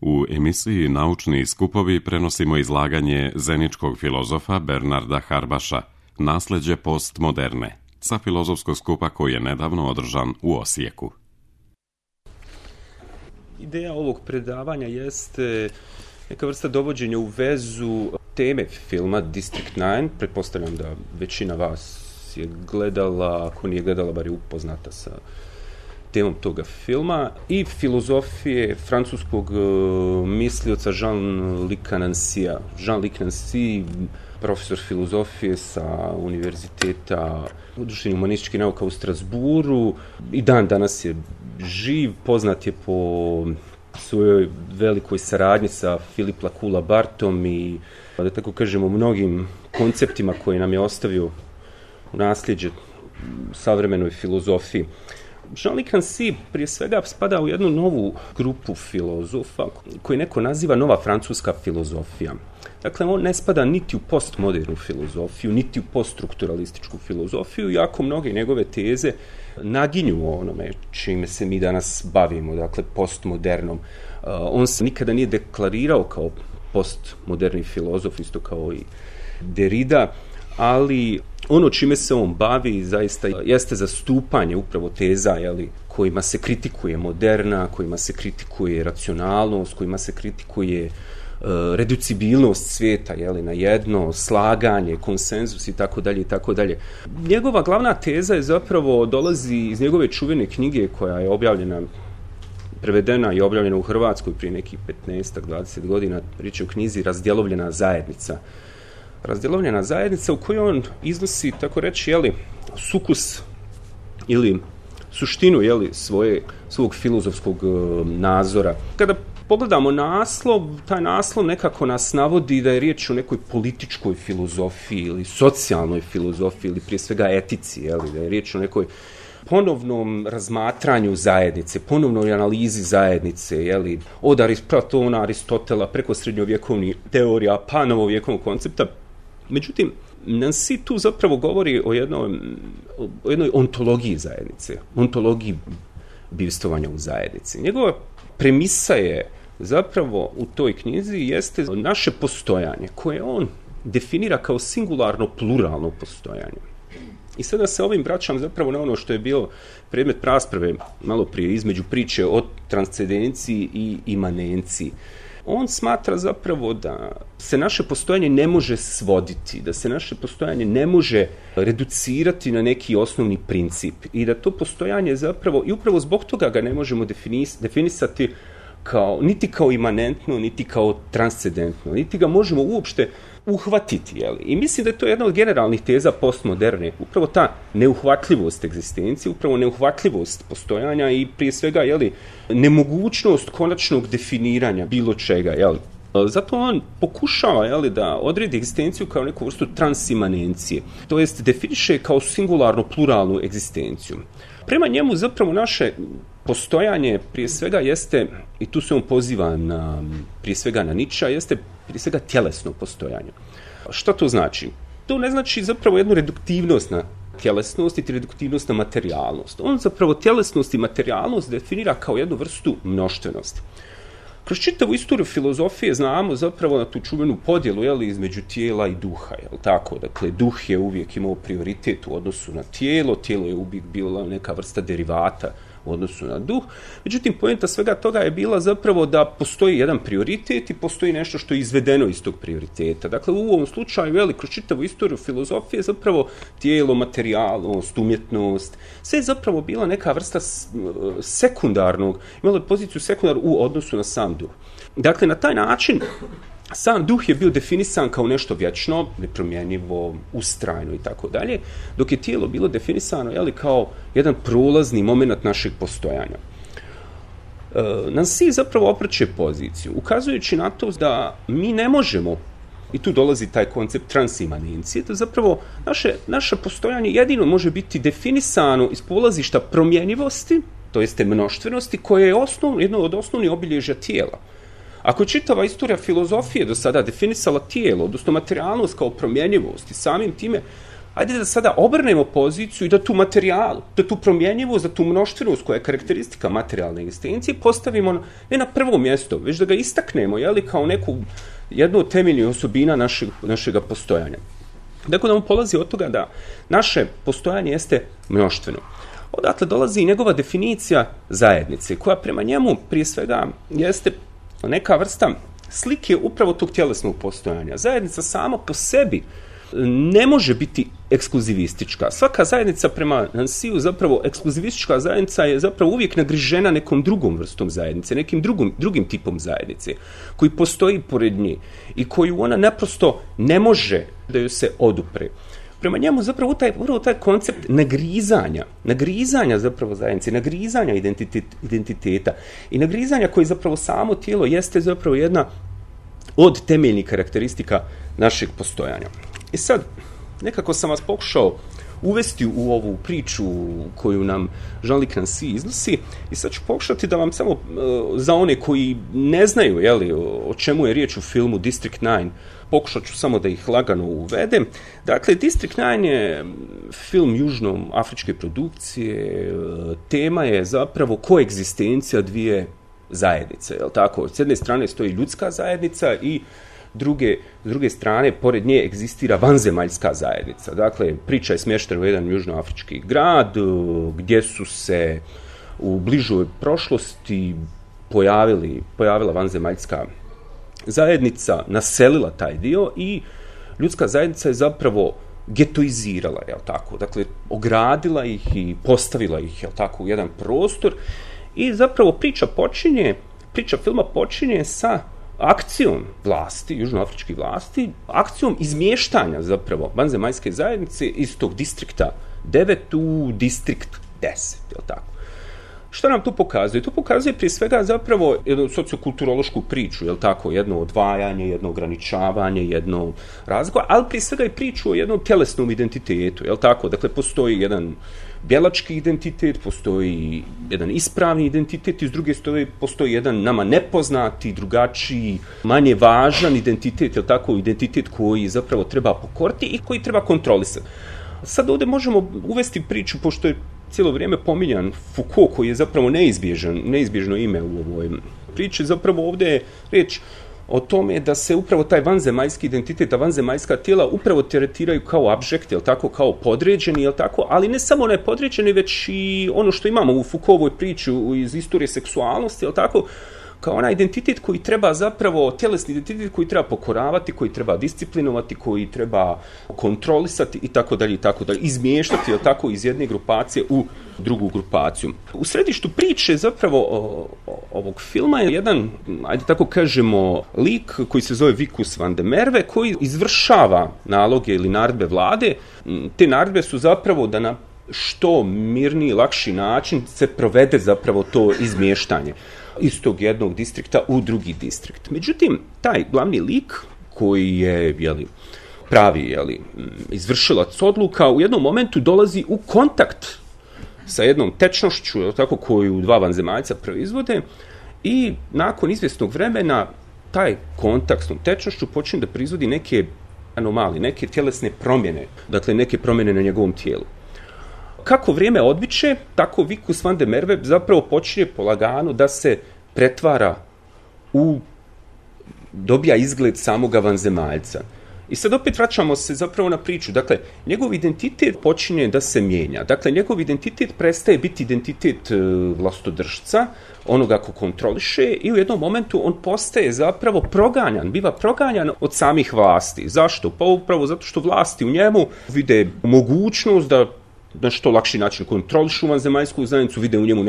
U emisiji Naučni skupovi prenosimo izlaganje zeničkog filozofa Bernarda Harbaša, Nasleđe postmoderne, sa filozofskog skupa koji je nedavno održan u Osijeku. Ideja ovog predavanja jeste neka vrsta dovođenja u vezu teme filma District 9. Pretpostavljam da većina vas je gledala, ako nije gledala, bar je upoznata sa temom toga filma, i filozofije francuskog mislioca Jean-Luc Nancyja. Jean-Luc Nancy, profesor filozofije sa Univerziteta društvenih humanističkih nauka u Strasburu, i dan danas je živ, poznat je po svojoj velikoj saradnji sa Philippe Lacoue-Labartom i, da tako kažemo, mnogim konceptima koje nam je ostavio u nasljeđe savremenoj filozofiji. Jean-Luc Nancy prije svega spada u jednu novu grupu filozofa koju neko naziva nova francuska filozofija. Dakle, on ne spada niti u postmodernu filozofiju, niti u poststrukturalističku filozofiju, iako mnoge njegove teze naginju onome čime se mi danas bavimo, dakle postmodernom. On se nikada nije deklarirao kao postmoderni filozof, isto kao i Derrida, ali ono čime se on bavi zaista jeste zastupanje upravo teza, kojima se kritikuje moderna, kojima se kritikuje racionalnost, kojima se kritikuje reducibilnost svijeta na jedno, slaganje, konsenzus i tako dalje i tako dalje. Njegova glavna teza je zapravo dolazi iz njegove čuvene knjige koja je objavljena, prevedena i objavljena u Hrvatskoj prije nekih 15-20 godina. Riječ je o knjizi Razdjelovljena zajednica. Razdjelovljena zajednica u kojoj on iznosi, tako reći, sukus ili suštinu svog filozofskog nazora. Kada pogledamo naslov, taj naslov nekako nas navodi da je riječ o nekoj političkoj filozofiji ili socijalnoj filozofiji ili prije svega etici, da je riječ o nekoj ponovnom razmatranju zajednice, ponovnoj analizi zajednice, od Platona, Aristotela, preko srednjovjekovnih teorija, pa novovjekovnog koncepta. Međutim, Nancy tu zapravo govori o jednoj ontologiji zajednice, ontologiji bivstvovanja u zajednici. Njegova premisa je zapravo u toj knjizi jeste naše postojanje, koje on definira kao singularno pluralno postojanje. I sada se ovim vraćam zapravo na ono što je bio predmet rasprave malo prije između priče o transcendenciji i imanenciji. On smatra zapravo da se naše postojanje ne može svoditi, da se naše postojanje ne može reducirati na neki osnovni princip i da to postojanje zapravo, i upravo zbog toga ga ne možemo definisati niti kao imanentno, niti kao transcendentno, niti ga možemo uopšte uhvatiti. I mislim da je to jedna od generalnih teza postmoderne, upravo ta neuhvatljivost egzistencije, upravo neuhvatljivost postojanja i prije svega nemogućnost konačnog definiranja bilo čega. Zato on pokušava da odredi egzistenciju kao neku vrstu transimanencije, to jest definiše kao singularno pluralnu egzistenciju. Prema njemu zapravo naše postojanje prije svega jeste, i tu se on poziva prije svega na Nietzschea, jeste prije svega tjelesno postojanje. Što to znači? To ne znači zapravo jednu reduktivnost na tjelesnost i reduktivnost na materijalnost. On zapravo tjelesnost i materijalnost definira kao jednu vrstu mnoštvenosti. Kroz čitavu istoriju filozofije znamo zapravo na tu čuvenu podjelu između tijela i duha. Dakle, duh je uvijek imao prioritet u odnosu na tijelo, tijelo je uvijek bila neka vrsta derivata u odnosu na duh. Međutim, poenta svega toga je bila zapravo da postoji jedan prioritet i postoji nešto što je izvedeno iz tog prioriteta. Dakle, u ovom slučaju, kroz čitavu istoriju filozofije, zapravo tijelo, materijalnost, umjetnost, sve je zapravo bila neka vrsta sekundarnog, imala je poziciju sekundarnu u odnosu na sam duh. Dakle, na taj način sam duh je bio definisan kao nešto vječno, nepromjenjivo, ustrajno i tako dalje, dok je tijelo bilo definisano kao jedan prolazni moment našeg postojanja. Nancy zapravo opreće poziciju, ukazujući na to da mi ne možemo, i tu dolazi taj koncept transimanencije, da zapravo naše postojanje jedino može biti definisano iz polazišta promjenjivosti, to jeste mnoštvenosti, koje je jedno od osnovnih obilježja tijela. Ako je čitava istorija filozofije do sada definisala tijelo, odnosno materijalnost kao promjenjivost i samim time Ajde da sada obrnemo poziciju i da tu materijalu, da tu promjenjivost, da tu mnoštvenost koja je karakteristika materijalne egzistencije postavimo ne na prvo mjesto, već da ga istaknemo, kao jednu od temeljnih osobina našega postojanja. Dakle, da mu polazi od toga da naše postojanje jeste mnoštveno. Odatle dolazi i njegova definicija zajednice, koja prema njemu prije svega jeste neka vrsta slike upravo tog tjelesnog postojanja. Zajednica sama po sebi ne može biti ekskluzivistička. Svaka zajednica prema Nansiju, zapravo ekskluzivistička zajednica je zapravo uvijek nagrižena nekom drugom vrstom zajednice, nekim drugim tipom zajednice, koji postoji pored nje i koju ona naprosto ne može da joj se odupre. Prema njemu zapravo taj koncept nagrizanja zapravo zajednice, nagrizanja identiteta i nagrizanja koji zapravo samo tijelo jeste zapravo jedna od temeljnih karakteristika našeg postojanja. I sad, nekako sam vas pokušao uvesti u ovu priču koju nam Jean-Luc Nancy iznosi i sad ću pokušati da vam samo za one koji ne znaju o čemu je riječ u filmu District 9, pokušat ću samo da ih lagano uvedem. Dakle, District 9 je film južnoafričke produkcije, tema je zapravo koegzistencija dvije zajednice, jel tako? S jedne strane stoji ljudska zajednica i s druge strane, pored nje egzistira vanzemaljska zajednica. Dakle, priča je smještena u jedan južnoafrički grad gdje su se u bližoj prošlosti pojavila vanzemaljska zajednica, naselila taj dio i ljudska zajednica je zapravo getoizirala, jel tako? Dakle, ogradila ih i postavila ih, jel tako, u jedan prostor i zapravo priča filma počinje sa akcijom vlasti, južnoafričkih vlasti, akcijom izmještanja zapravo vanzemaljske zajednice iz tog distrikta 9 u distrikt 10, jel tako? Što nam to pokazuje? To pokazuje prije svega zapravo jednu sociokulturološku priču, jel tako? Jedno odvajanje, jedno ograničavanje, jedno razgovor, ali prije svega i priču o jednom tjelesnom identitetu, jel tako? Dakle, postoji jedan bjelački identitet, postoji jedan ispravni identitet i s druge strane postoji jedan nama nepoznati, drugačiji, manje važan identitet, jel tako? Identitet koji zapravo treba pokoriti i koji treba kontrolisati. Sad ovdje možemo uvesti priču, pošto je cijelo vrijeme pominjan Foucault, koji je zapravo neizbježno ime u ovoj priči, zapravo ovdje je riječ o tome da se upravo taj vanzemaljski identitet, a vanzemaljska tijela upravo tretiraju kao abjekt, jel tako, kao podređeni, jel tako, ali ne samo ne podređeni, već i ono što imamo u Foucaultovoj priči iz istorije seksualnosti, jel tako, kao onaj identitet koji treba zapravo, tjelesni identitet koji treba pokoravati, koji treba disciplinovati, koji treba kontrolisati i tako dalje, izmještati, jel tako, iz jedne grupacije u drugu grupaciju. U središtu priče zapravo ovog filma je jedan, ajde tako kažemo, lik koji se zove Vicus van der Merwe, koji izvršava naloge ili naredbe vlade. Te naredbe su zapravo da na što mirniji, lakši način se provede zapravo to izmještanje iz tog jednog distrikta u drugi distrikt. Međutim, taj glavni lik koji je pravi izvršilac odluka u jednom momentu dolazi u kontakt sa jednom tečnošću, tako, koju dva vanzemaljca proizvode i nakon izvjesnog vremena taj kontakt s tom tečnošću počne da proizvodi neke anomalije, neke tjelesne promjene, dakle neke promjene na njegovom tijelu. Kako vrijeme odmiče, tako Vicus van der Merwe zapravo počinje polagano da se pretvara dobija izgled samoga vanzemaljca. I sad opet vraćamo se zapravo na priču. Dakle, njegov identitet počinje da se mijenja. Dakle, njegov identitet prestaje biti identitet vlastodržca, onoga ko kontroliše i u jednom momentu on postaje zapravo biva proganjan od samih vlasti. Zašto? Pa upravo zato što vlasti u njemu vide mogućnost da na što lakši način kontrolišu vanzemaljsku zajednicu, vide u njemu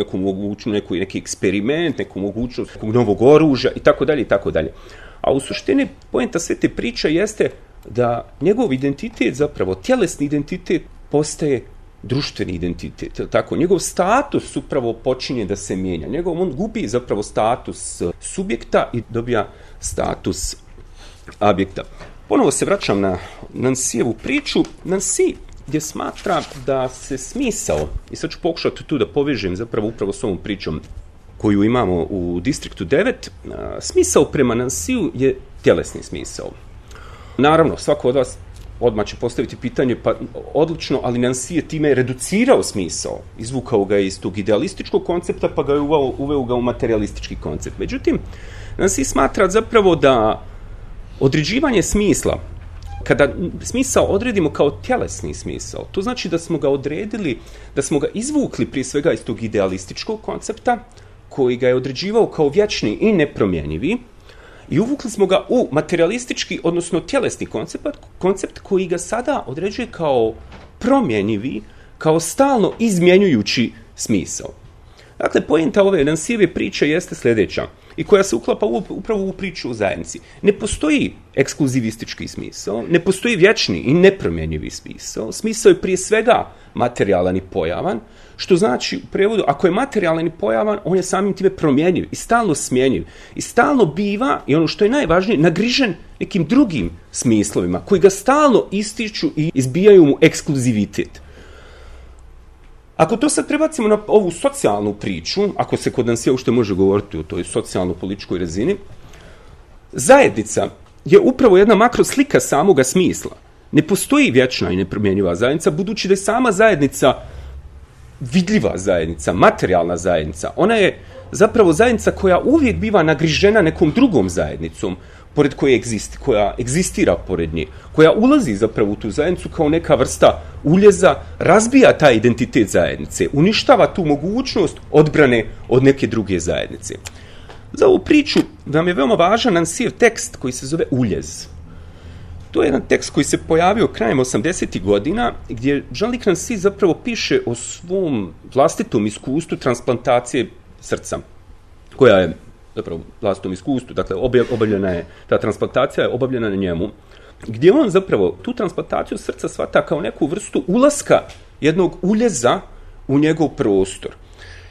neki eksperiment, neku mogućnost nekog novog oružja i tako dalje. A u suštini poenta sve te priče jeste da njegov identitet, zapravo tjelesni identitet, postaje društveni identitet. Tako, njegov status upravo počinje da se mijenja. On gubi zapravo status subjekta i dobija status objekta. Ponovo se vraćam na Nansijevu priču. Nansi gdje smatra da se smisao, i sad ću pokušati tu da povežem zapravo upravo s ovom pričom koju imamo u distriktu 9, smisao prema Nansiju je tjelesni smisao. Naravno, svako od vas odmah će postaviti pitanje, pa odlično, ali Nancy je time reducirao smisao, izvukao ga iz tog idealističkog koncepta, pa ga je uveo ga u materialistički koncept. Međutim, Nancy smatra zapravo da određivanje smisla, kada smisao odredimo kao tjelesni smisao, to znači da smo ga odredili, da smo ga izvukli prije svega iz tog idealističkog koncepta, koji ga je određivao kao vječni i nepromjenjivi, i uvukli smo ga u materialistički, odnosno tjelesni koncept koji ga sada određuje kao promjenjivi, kao stalno izmjenjujući smisao. Dakle, poenta ove Nancyjeve priče jeste sljedeća, i koja se uklapa upravo u priču o zajednici. Ne postoji ekskluzivistički smisao, ne postoji vječni i nepromjenjivi smisao. Smisao je prije svega materijalan i pojavan, što znači u prevodu, ako je materijalan i pojavan, on je samim time promjenjiv i stalno smjenjiv. I stalno biva, i ono što je najvažnije, nagrižen nekim drugim smislovima, koji ga stalno ističu i izbijaju mu ekskluzivitet. Ako to sad prebacimo na ovu socijalnu priču, ako se kod nas uopšte može govoriti o toj socijalno-političkoj razini, zajednica je upravo jedna makroslika samoga smisla. Ne postoji vječna i nepromjenjiva zajednica, budući da je sama zajednica vidljiva zajednica, materijalna zajednica. Ona je zapravo zajednica koja uvijek biva nagrižena nekom drugom zajednicom, pored koja egzistira pored nje, koja ulazi zapravo u tu zajednicu kao neka vrsta uljeza, razbija taj identitet zajednice, uništava tu mogućnost odbrane od neke druge zajednice. Za ovu priču nam je veoma važan Nancyjev tekst koji se zove Uljez. To je jedan tekst koji se pojavio krajem 80. godina, gdje Jean-Luc Nancy zapravo piše o svom vlastitom iskustvu transplantacije srca, koja je zapravo vlastitom iskustvu, dakle obavljena je, ta transplantacija je obavljena na njemu, gdje on zapravo tu transplantaciju srca shvata kao neku vrstu ulaska jednog uljeza u njegov prostor.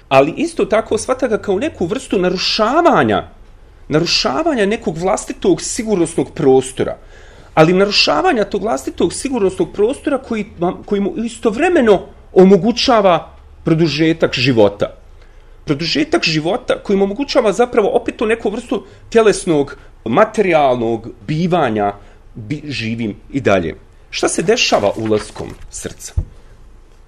Ali isto tako shvata ga kao neku vrstu narušavanja nekog vlastitog sigurnosnog prostora, ali narušavanja tog vlastitog sigurnosnog prostora koji mu istovremeno omogućava produžetak života. Produžetak života koji mu omogućava zapravo opet tu neku vrstu tjelesnog, materijalnog bivanja živim i dalje. Šta se dešava ulaskom srca?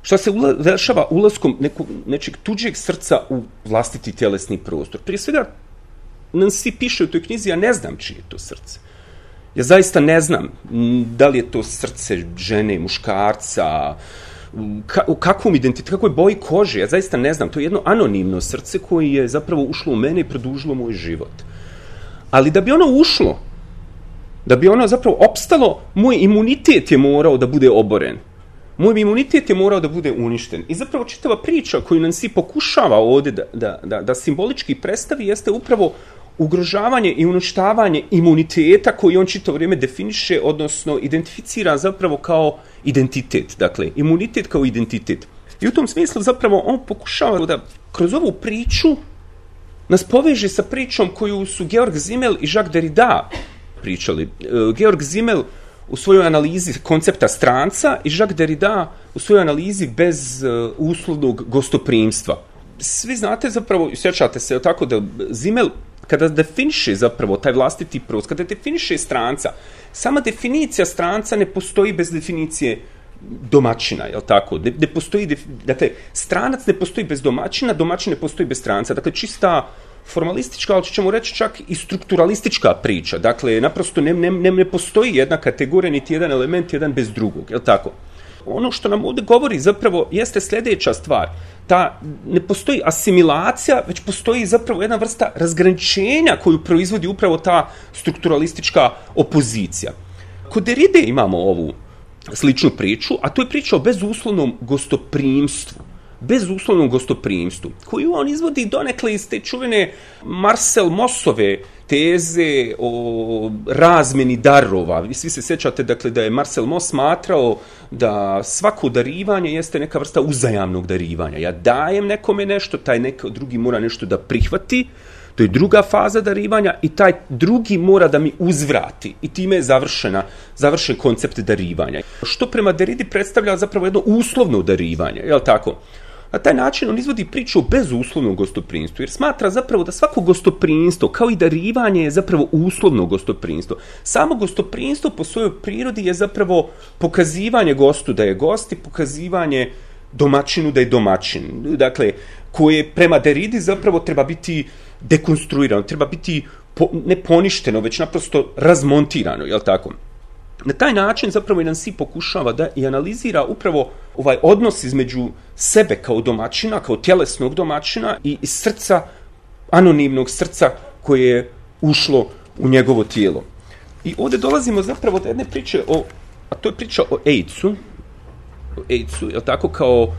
Šta se dešava ulaskom nečeg tuđeg srca u vlastiti tjelesni prostor? Prije svega, Nancy piše u toj knjizi, ja ne znam čije je to srce. Ja zaista ne znam da li je to srce žene, muškarca, u kakvom identitetu, kakvoj boji kože, ja zaista ne znam. To je jedno anonimno srce koje je zapravo ušlo u mene i produžilo moj život. Ali da bi ono ušlo, da bi ono zapravo opstalo, moj imunitet je morao da bude oboren. Moj imunitet je morao da bude uništen. I zapravo čitava priča koju Nancy pokušava ovdje da simbolički predstavi jeste upravo ugrožavanje i uništavanje imuniteta koji on čitavo vrijeme definiše, odnosno identificira zapravo kao identitet. Dakle, imunitet kao identitet. I u tom smislu zapravo on pokušava da kroz ovu priču nas poveže sa pričom koju su Georg Simmel i Jacques Derrida pričali. Georg Simmel u svojoj analizi koncepta stranca i Jacques Derrida u svojoj analizi bez uslovnog gostoprimstva. Svi znate zapravo, sjećate se tako da Simmel kada definiše zapravo taj vlastiti prostor, kada definiše stranca, sama definicija stranca ne postoji bez definicije domaćina, je li tako? Ne postoji, dakle, stranac ne postoji bez domaćina, domaćin ne postoji bez stranca. Dakle, čista formalistička, ali ćemo reći čak i strukturalistička priča. Dakle, naprosto ne postoji jedna kategorija, niti jedan element, jedan bez drugog, je li tako? Ono što nam ovdje govori zapravo jeste sljedeća stvar. Ne postoji asimilacija, već postoji zapravo jedna vrsta razgraničenja koju proizvodi upravo ta strukturalistička opozicija. Kod Derride imamo ovu sličnu priču, a to je priča o bezuslovnom gostoprimstvu. Bezuslovnom gostoprimstvu, koju on izvodi donekle iz te čuvene Marcel Maussove teze o razmjeni darova. Vi svi se sjećate, dakle, da je Marcel Mauss smatrao da svako darivanje jeste neka vrsta uzajamnog darivanja. Ja dajem nekome nešto, taj neko drugi mora nešto da prihvati, to je druga faza darivanja i taj drugi mora da mi uzvrati. I time je završen koncept darivanja. Što prema Derridi predstavlja zapravo jedno uslovno darivanje, je li tako? Na taj način on izvodi priču o bezuslovnom gostoprimstvu, jer smatra zapravo da svako gostoprimstvo, kao i darivanje, je zapravo uslovno gostoprimstvo. Samo gostoprimstvo po svojoj prirodi je zapravo pokazivanje gostu da je gost i pokazivanje domaćinu da je domaćin. Dakle, koje prema Derridi zapravo treba biti dekonstruirano, treba biti ne poništeno, već naprosto razmontirano, jel tako? Na taj način zapravo Nancy pokušava da i analizira upravo ovaj odnos između sebe kao domaćina, kao tjelesnog domaćina i srca, anonimnog srca koje je ušlo u njegovo tijelo. I ovdje dolazimo zapravo do jedne priče, a to je priča o AIDS-u, jel tako,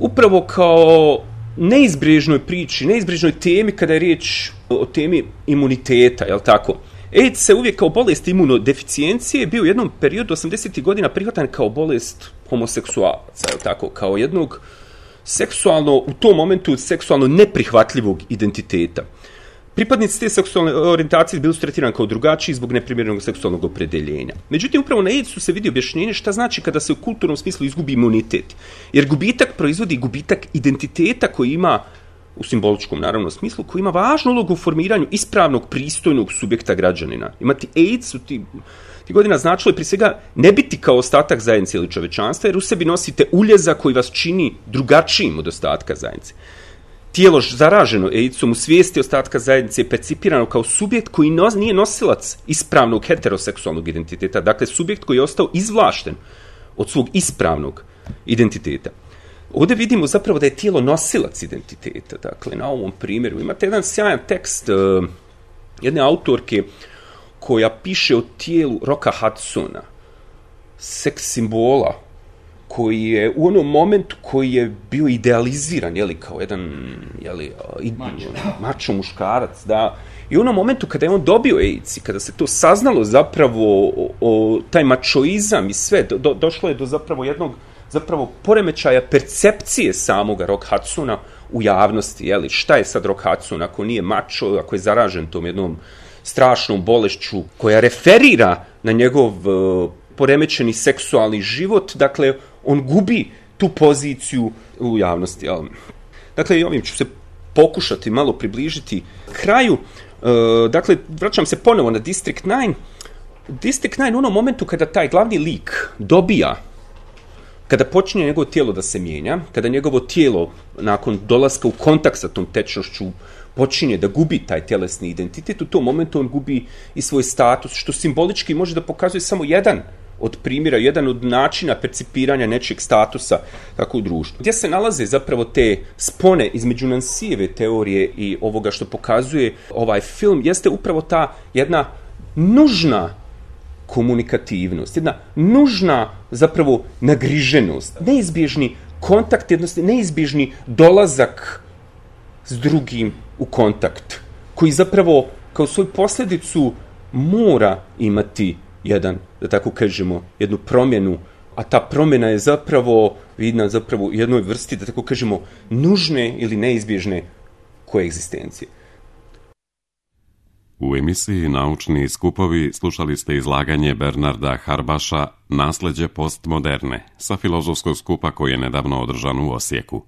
upravo kao neizbježnoj priči, neizbježnoj temi kada je riječ o temi imuniteta, jel tako? AIDS se uvijek kao bolest imunodeficijencije bio u jednom periodu 80. godina prihvatan kao bolest homoseksualaca, jel tako? Kao jednog seksualno, u tom momentu seksualno neprihvatljivog identiteta. Pripadnici te seksualne orijentacije bili su tretirani kao drugačiji zbog neprimjerenog seksualnog opredeljenja. Međutim, upravo na AIDS-u se vidi objašnjenje šta znači kada se u kulturnom smislu izgubi imunitet. Jer gubitak proizvodi gubitak identiteta koji ima, u simboličkom naravno smislu, koji ima važnu ulogu u formiranju ispravnog, pristojnog subjekta građanina. Imati AIDS u ti godina značilo je prije svega ne biti kao ostatak zajednice ili čovečanstva, jer u sebi nosite uljeza koji vas čini drugačijim od ostatka zajednice. Tijelo zaraženo AIDS-om u svijesti ostatka zajednice je percipirano kao subjekt koji nije nosilac ispravnog heteroseksualnog identiteta, dakle subjekt koji je ostao izvlašten od svog ispravnog identiteta. Ovdje vidimo zapravo da je tijelo nosilac identiteta, dakle na ovom primjeru. Imate jedan sjajan tekst jedne autorke koja piše o tijelu Rocka Hudsona, seks simbola, koji je u onom momentu koji je bio idealiziran, kao jedan mačo muškarac, da. I u onom momentu kada je on dobio AIDS i kada se to saznalo zapravo o taj mačoizam i sve, došlo je do zapravo jednog poremećaja percepcije samoga Rock Hudsona u javnosti, šta je sad Rock Hudson ako nije mačo, ako je zaražen tom jednom strašnom bolešću koja referira na njegov poremećeni seksualni život, dakle, on gubi tu poziciju u javnosti. Dakle, i ovim ću se pokušati malo približiti kraju. Dakle, vraćam se ponovo na District 9. District 9 u onom momentu kada taj glavni lik dobija, kada počinje njegovo tijelo da se mijenja, kada njegovo tijelo nakon dolaska u kontakt sa tom tečnošću počinje da gubi taj tjelesni identitet, u tom momentu on gubi i svoj status, što simbolički može da pokazuje samo jedan od primjera, jedan od načina percipiranja nečeg statusa tako u društvu. Gdje se nalaze zapravo te spone između Nancyjeve teorije i ovoga što pokazuje ovaj film, jeste upravo ta jedna nužna komunikativnost, jedna nužna zapravo nagriženost, neizbježni kontakt, neizbježni dolazak s drugim u kontakt, koji zapravo kao svoju posljedicu mora imati da tako kažemo, jednu promjenu, a ta promjena je zapravo vidna zapravo u jednoj vrsti, da tako kažemo, nužne ili neizbježne koegzistencije. U emisiji Naučni skupovi slušali ste izlaganje Bernarda Harbaša Nasleđe postmoderne sa filozofskog skupa koji je nedavno održan u Osijeku.